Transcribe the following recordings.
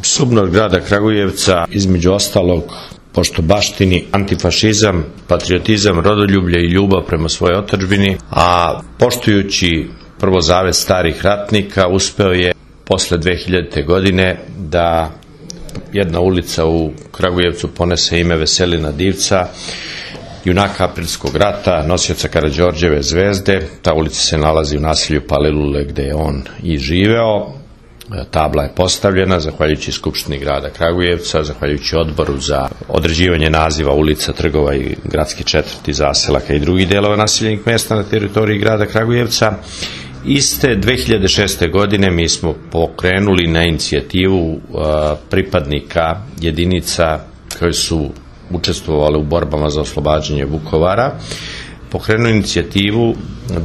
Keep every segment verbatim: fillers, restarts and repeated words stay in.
SUBNOR grada Kragujevca, između ostalog, pošto baštini antifašizam, patriotizam, rodoljublje i ljubav prema svojoj otadžbini, a poštujući prvo zavet starih ratnika, uspeo je posle dve hiljadite. godine da jedna ulica u Kragujevcu ponese ime Veselina Divca, junaka Aprilskog rata, nosioca Karađorđeve zvezde. Ta ulica se nalazi u naselju Palilule gde je on i živeo. Tabla je postavljena zahvaljujući Skupštini grada Kragujevca, zahvaljujući odboru za određivanje naziva ulica, trgova i gradske četvrti, zaselaka i drugih delova naseljenih mesta na teritoriji grada Kragujevca. Iste dve hiljade šeste. godine mi smo pokrenuli na inicijativu pripadnika jedinica koji su učestvovali u borbama za oslobađanje Vukovara, pokrenuo inicijativu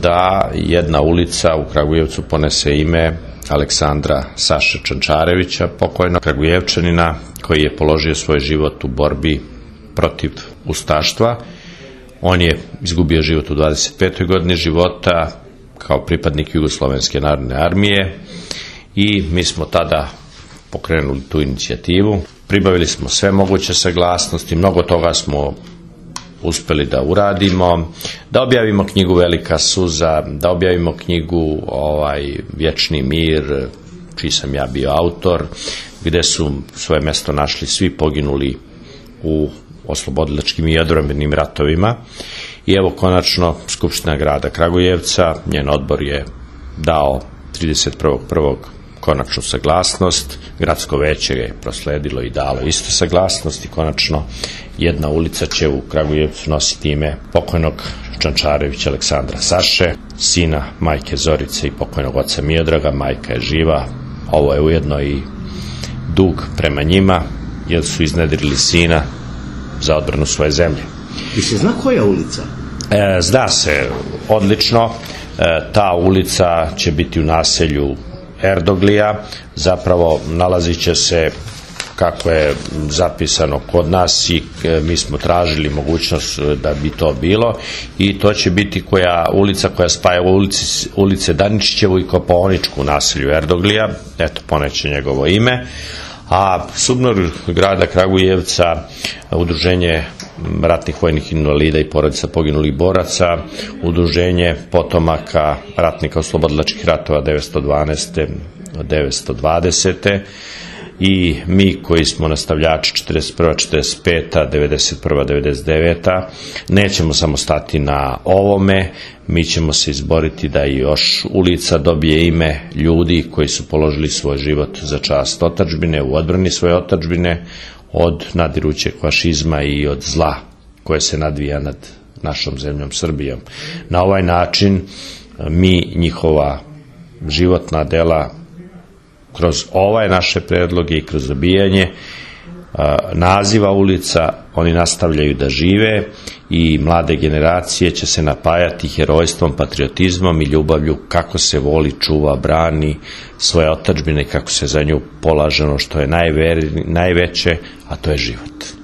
da jedna ulica u Kragujevcu ponese ime Aleksandra Saše Čančarevića, pokojnog Kragujevčanina koji je položio svoj život u borbi protiv ustaštva. On je izgubio život u dvadeset petoj godini života kao pripadnik Jugoslovenske narodne armije i mi smo tada pokrenuli tu inicijativu. Pribavili smo sve moguće saglasnosti, mnogo toga smo uspeli da uradimo, da objavimo knjigu Velika suza, da objavimo knjigu ovaj, Vječni mir, čiji sam ja bio autor, gde su svoje mesto našli svi poginuli u oslobodilačkim i odbrambenim ratovima. I evo konačno Skupština grada Kragujevca, njen odbor je dao trideset prvog prvog konačnu saglasnost, gradsko veće je prosledilo i dalo isto saglasnost i konačno jedna ulica će u Kragujevcu nositi ime pokojnog Čančarevića Aleksandra Saše, sina majke Zorice i pokojnog oca Miodraga. Majka je živa, ovo je ujedno i dug prema njima jer su iznedrili sina za odbranu svoje zemlje. I se zna koja ulica? E, zna se odlično, e, ta ulica će biti u naselju Erdoglija, zapravo nalazit će se kako je zapisano kod nas i mi smo tražili mogućnost da bi to bilo i to će biti koja ulica koja spaja ulici, ulice Daničićevu i Kopaoničku u naselju Erdoglija, eto poneće njegovo ime. A SUBNOR grada Kragujevca, udruženje ratnih vojnih invalida i porodica poginulih boraca, udruženje potomaka ratnika oslobodilačkih ratova devetsto dvanaeste do devetsto dvadesete i mi koji smo nastavljači četrdeset prva četrdeset peta devedeset prva devedeset deveta nećemo samo stati na ovome, mi ćemo se izboriti da i još ulica dobije ime ljudi koji su položili svoj život za čast otadžbine, u odbrani svoje otadžbine od nadirućeg fašizma i od zla koje se nadvija nad našom zemljom Srbijom. Na ovaj način mi njihova životna dela kroz ovaj naše predloge i kroz dobijanje naziva ulica oni nastavljaju da žive i mlade generacije će se napajati herojstvom, patriotizmom i ljubavlju kako se voli, čuva, brani svoje otadžbine i kako se za nju polaže ono što je najveće, a to je život.